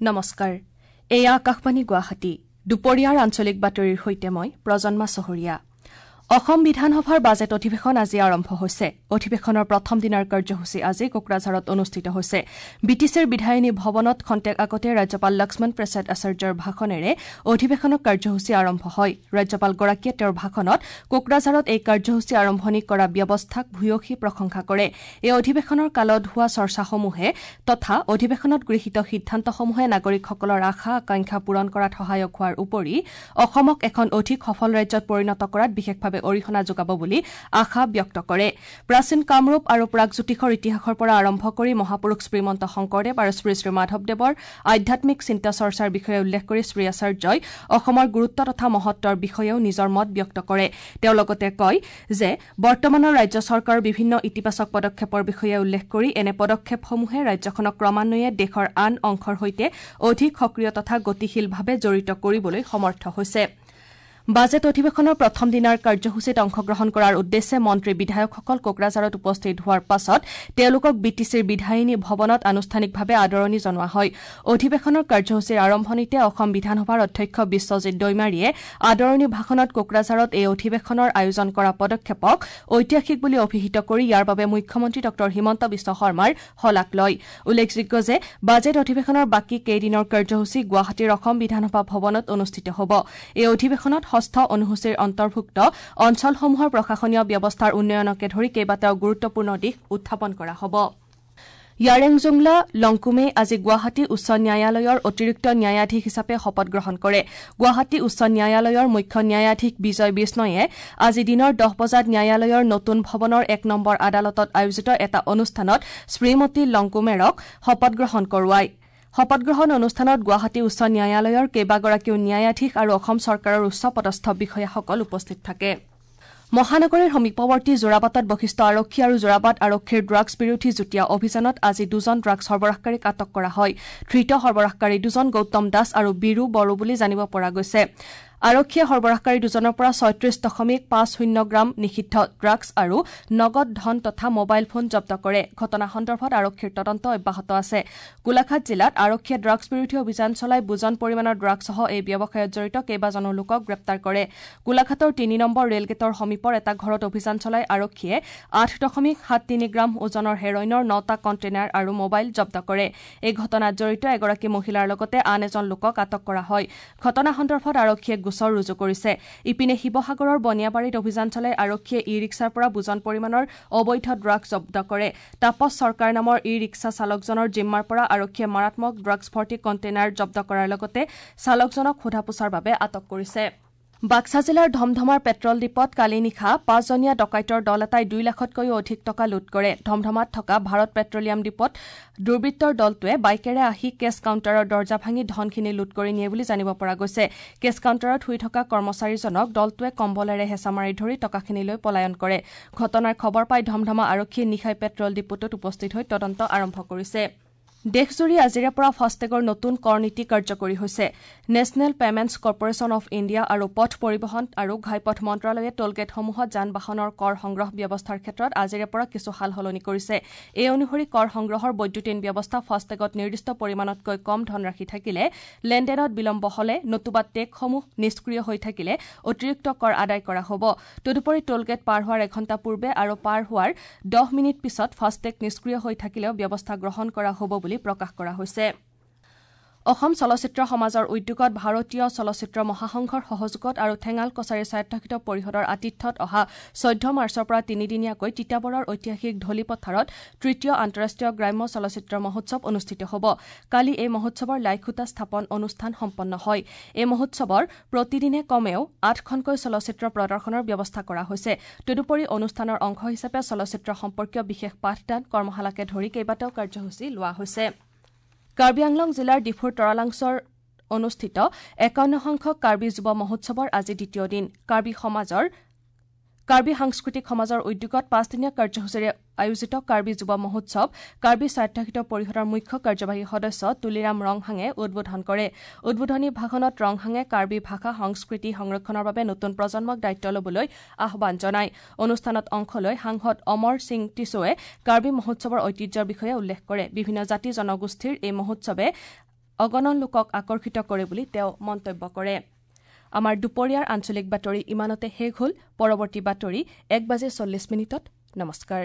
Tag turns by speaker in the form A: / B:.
A: নমস্কাৰ, এয়া আকাশবাণী গুৱাহাটী। দুপৰীয়াৰ আঞ্চলিক বাতৰিৰ সৈতে মই প্ৰজন্মা চহৰীয়া। অসম বিধানসভাৰ বাজেট অধিৱেশন আজি আৰম্ভ হৈছে। অধিৱেশনৰ প্ৰথম দিনাৰ কাৰ্যসূচী আজি কোকৰাঝাৰত অনুষ্ঠিত হৈছে। বি টি চিৰ বিধায়িনী ভৱনত খন্তেক আগতে ৰাজ্যপাল লক্ষ্মণ প্ৰসাদ আচাৰ্যৰ ভাষণেৰে অধিৱেশনৰ কাৰ্যসূচী আৰম্ভ হয়। ৰাজ্যপালগৰাকীয়ে তেওঁৰ ভাষণত কোকৰাঝাৰত এই কাৰ্যসূচী আৰম্ভণি কৰা ব্যৱস্থাক ভূয়সী প্ৰশংসা কৰে। এই অধিৱেশনৰ কালত হোৱা চৰ্চাসমূহে তথা অধিৱেশনত গৃহীত সিদ্ধান্তসমূহে নাগৰিকসকলৰ আশা আকাংক্ষা পূৰণ কৰাত সহায়ক হোৱাৰ উপৰি অসমক এখন অধিক সফল ৰাজ্যত পৰিণত কৰাত বিশেষভাৱে অৰিহণা যোগাব বুলি আশা ব্যক্ত কৰে। প্ৰাচীন কামৰূপ আৰু প্ৰাগজ্যোতিষৰ ইতিহাসৰ পৰা আৰম্ভ কৰি মহাপুৰুষ শ্ৰীমন্ত শংকৰদেৱ আৰু শ্ৰী শ্ৰী মাধৱদেৱৰ আধ্যাত্মিক চিন্তা চৰ্চাৰ বিষয়ে উল্লেখ কৰি শ্ৰী আচাৰ্যই অসমৰ গুৰুত্ব তথা মহত্বৰ বিষয়েও নিজৰ মত ব্যক্ত কৰে। তেওঁ লগতে কয় যে বৰ্তমানৰ ৰাজ্য চৰকাৰৰ বিভিন্ন ইতিবাচক পদক্ষেপৰ বিষয়ে উল্লেখ কৰি এনে পদক্ষেপসমূহে ৰাজ্যখনক ক্ৰমান্বয়ে দেশৰ আন অংশৰ সৈতে অধিক সক্ৰিয় তথা গতিশীলভাৱে জড়িত কৰিবলৈ সমৰ্থ হৈছে। বাজেট অধিৱেশনৰ প্ৰথম দিনাৰ কাৰ্যসূচীত অংশগ্ৰহণ কৰাৰ উদ্দেশ্যে মন্ত্ৰী বিধায়কসকল কোকৰাঝাৰত উপস্থিত হোৱাৰ পাছত তেওঁলোকক বি টি চিৰ বিধায়িনী ভৱনত আনুষ্ঠানিকভাৱে আদৰণি জনোৱা হয়। অধিৱেশনৰ কাৰ্যসূচীৰ আৰম্ভণিতে অসম বিধানসভাৰ অধ্যক্ষ বিশ্বজিৎ দৈমাৰীয়ে আদৰণি ভাষণত কোকৰাঝাৰত এই অধিৱেশনৰ আয়োজন কৰা পদক্ষেপক ঐতিহাসিক বুলি অভিহিত কৰি ইয়াৰ বাবে মুখ্যমন্ত্ৰী ডঃ হিমন্ত বিশ্ব শৰ্মাৰ শলাগ লয়। উল্লেখযোগ্য যে বাজেট অধিৱেশনৰ বাকী কেইদিনৰ কাৰ্যসূচী গুৱাহাটীৰ অসম বিধানসভা ভৱনত অনুষ্ঠিত হ'ব। এই অধিৱেশনত ষষ্ঠ অনুসূচীৰ অন্তৰ্ভুক্ত অঞ্চলসমূহৰ প্ৰশাসনীয় ব্যৱস্থাৰ উন্নয়নকে ধৰি কেইবাটাও গুৰুত্বপূৰ্ণ দিশ উত্থাপন কৰা হ'ব। য়াৰেংজুংলা লংকুমে আজি গুৱাহাটী উচ্চ ন্যায়ালয়ৰ অতিৰিক্ত ন্যায়াধীশ হিচাপে শপত গ্ৰহণ কৰে। গুৱাহাটী উচ্চ ন্যায়ালয়ৰ মুখ্য ন্যায়াধীশ বিজয় বিষ্ণয়ে আজি দিনৰ 10 বজাত ন্যায়ালয়ৰ নতুন ভৱনৰ 1 নম্বৰ আদালতত আয়োজিত এটা অনুষ্ঠানত শ্ৰীমতী লংকুমেৰক শপত গ্ৰহণ কৰোৱায়। শপতগ্ৰহণ অনুষ্ঠানত গুৱাহাটী উচ্চ ন্যায়ালয়ৰ কেইবাগৰাকীও ন্যায়াধীশ আৰু অসম চৰকাৰৰ উচ্চ পদস্থ বিষয়াসকল উপস্থিত থাকে। মহানগৰীৰ সমীপৱৰ্তী যোৰাবাটত বশিষ্ঠ আৰক্ষী আৰু যোৰাবাট আৰক্ষীৰ ড্ৰাগছ বিৰোধী যুটীয়া অভিযানত আজি দুজন ড্ৰাগছ সৰবৰাহকাৰীক আটক কৰা হয়। ধৃত সৰবৰাহকাৰী দুজন গৌতম দাস আৰু বীৰু বড়ো বুলি জানিব পৰা গৈছে। আৰক্ষীয়ে সৰবৰাহকাৰী দুজনৰ পৰা 36.50 গ্ৰাম নিষিদ্ধ ড্ৰাগছ আৰু নগদ ধন তথা মোবাইল ফোন জব্দ কৰে। ঘটনা সন্দৰ্ভত আৰক্ষীৰ তদন্ত অব্যাহত আছে। গোলাঘাট জিলাত আৰক্ষীয়ে ড্ৰাগছ বিৰোধী অভিযান চলাই বুজন পৰিমাণৰ ড্ৰাগছসহ এই ব্যৱসায়ত জড়িত কেইবাজনো লোকক গ্ৰেপ্তাৰ কৰে। গোলাঘাটৰ 3 নম্বৰ ৰেলগেটৰ সমীপৰ এটা ঘৰত অভিযান চলাই আৰক্ষীয়ে 8.73 গ্ৰাম ওজনৰ হেৰইনৰ 9টা কণ্টেইনাৰ আৰু মোবাইল জব্দ কৰে। এই ঘটনাত জড়িত এগৰাকী মহিলাৰ লগতে আন এজন লোকক আটক কৰা হয়। ঘটনা সন্দৰ্ভত আৰক্ষীয়ে গোচৰ ৰুজু কৰিছে। ইপিনে শিৱসাগৰৰ বনিয়াবাৰীত অভিযান চলাই আৰক্ষীয়ে ই ৰিক্সাৰ পৰা বুজন পৰিমাণৰ অবৈধ ড্ৰাগছ জব্দ কৰে। তাপস চৰকাৰ নামৰ ই ৰিক্সা চালকজনৰ জিম্মাৰ পৰা আৰক্ষীয়ে মাৰাত্মক ড্ৰাগছ ভৰ্তি কণ্টেইনাৰ জব্দ কৰাৰ লগতে চালকজনক সোধা পোছাৰ বাবে আটক কৰিছে। বাক্সা জিলাৰ ধমধমাৰ পেট্ৰল ডিপোত কালি নিশা 5জনীয়া ডকাইতৰ দল এটাই 2 লাখতকৈও অধিক টকা লুট কৰে। ধমধমাত থকা ভাৰত পেট্ৰলিয়াম ডিপোত দুৰ্বৃত্তৰ দলটোৱে বাইকেৰে আহি কেছ কাউণ্টাৰৰ দৰ্জা ভাঙি ধনখিনি লুট কৰি নিয়ে বুলি জানিব পৰা গৈছে। কেছ কাউণ্টাৰত শুই থকা কৰ্মচাৰীজনক দলটোৱে কম্বলেৰে হেঁচা মাৰি ধৰি টকাখিনি লৈ পলায়ন কৰে। ঘটনাৰ খবৰ পাই ধমধমা আৰক্ষীয়ে নিশাই পেট্ৰল ডিপোটোত উপস্থিত হৈ তদন্ত আৰম্ভ কৰিছে। দেশজুৰি আজিৰে পৰা ফাষ্টেগৰ নতুন কৰ নীতি কাৰ্যকৰী হৈছে। National Payments Corporation of India আৰু পথ পৰিবহণ আৰু ঘাইপথ মন্ত্ৰালয়ে টোলগেটসমূহত যান বাহনৰ কৰ সংগ্ৰহ ব্যৱস্থাৰ ক্ষেত্ৰত আজিৰে পৰা কিছু সাল সলনি কৰিছে। এই অনুসৰি কৰ সংগ্ৰহৰ বৈদ্যুতিন ব্যৱস্থা ফাষ্টেগত নিৰ্দিষ্ট পৰিমাণতকৈ কম ধনৰাশি থাকিলে, লেনদেনত বিলম্ব হলে নতুবা টেগসমূহ নিষ্ক্ৰিয় হৈ থাকিলে অতিৰিক্ত কৰ আদায় কৰা হ'ব। তদুপৰি টোলগেট পাৰ হোৱাৰ এঘণ্টা পূৰ্বে আৰু পাৰ হোৱাৰ 10 মিনিট পিছত ফাষ্টেগ নিষ্ক্ৰিয় হৈ থাকিলেও ব্যৱস্থা গ্ৰহণ কৰা হ'ব বুলি প্ৰকাশ কৰা হৈছে। অসম চলচ্চিত্ৰ সমাজৰ উদ্যোগত ভাৰতীয় চলচ্চিত্ৰ মহাসংঘৰ সহযোগত আৰু ঠেঙাল কছাৰী স্বায়ত্তশাসিত পৰিষদৰ আতিথ্যত অহা 14 মাৰ্চৰ পৰা তিনিদিনীয়াকৈ তিতাবৰৰ ঐতিহাসিক ধলিপথাৰত তৃতীয় আন্তঃৰাষ্ট্ৰীয় গ্ৰাম্য চলচ্চিত্ৰ মহোৎসৱ অনুষ্ঠিত হ'ব। কালি এই মহোৎসৱৰ লাইখুঁটা স্থাপন অনুষ্ঠান সম্পন্ন হয়। এই মহোৎসৱৰ প্ৰতিদিনে কমেও 8খনকৈ চলচ্চিত্ৰ প্ৰদৰ্শনৰ ব্যৱস্থা কৰা হৈছে। তদুপৰি অনুষ্ঠানৰ অংশ হিচাপে চলচ্চিত্ৰ সম্পৰ্কীয় বিশেষ পাঠদান, কৰ্মশালাকে ধৰি কেইবাটাও কাৰ্যসূচী লোৱা হৈছে। কাৰ্বি আংলং জিলাৰ ডিফুৰ তৰালাংছৰ অনুষ্ঠিত 51 সংখ্যক কাৰ্বি যুৱ মহোৎসৱৰ আজি দ্বিতীয় দিন। কাৰ্বি সাংস্কৃতিক সমাজৰ উদ্যোগত 5দিনীয়া কাৰ্যসূচীৰে আয়োজিত কাৰ্বি যুৱ মহোৎসৱ কাৰ্বি স্বায়ত্তশাসিত পৰিষদৰ মুখ্য কাৰ্যবাহী সদস্য তুলিৰাম ৰংহাঙে উদ্বোধন কৰে। উদ্বোধনী ভাষণত ৰংহাঙে কাৰ্বি ভাষা সংস্কৃতি সংৰক্ষণৰ বাবে নতুন প্ৰজন্মক দায়িত্ব ল'বলৈ আহ্বান জনায়। অনুষ্ঠানত অংশ লৈ সাংসদ অমৰ সিং টিছোৱে কাৰ্বি মহোৎসৱৰ ঐতিহ্যৰ বিষয়ে উল্লেখ কৰে। বিভিন্ন জাতি জনগোষ্ঠীৰ এই মহোৎসৱে অগণন লোকক আকৰ্ষিত কৰে বুলি তেওঁ মন্তব্য কৰে। আমাৰ দুপৰীয়াৰ আঞ্চলিক বাতৰি ইমানতে শেষ হ'ল। পৰৱৰ্তী বাতৰি 1:40। নমস্কাৰ।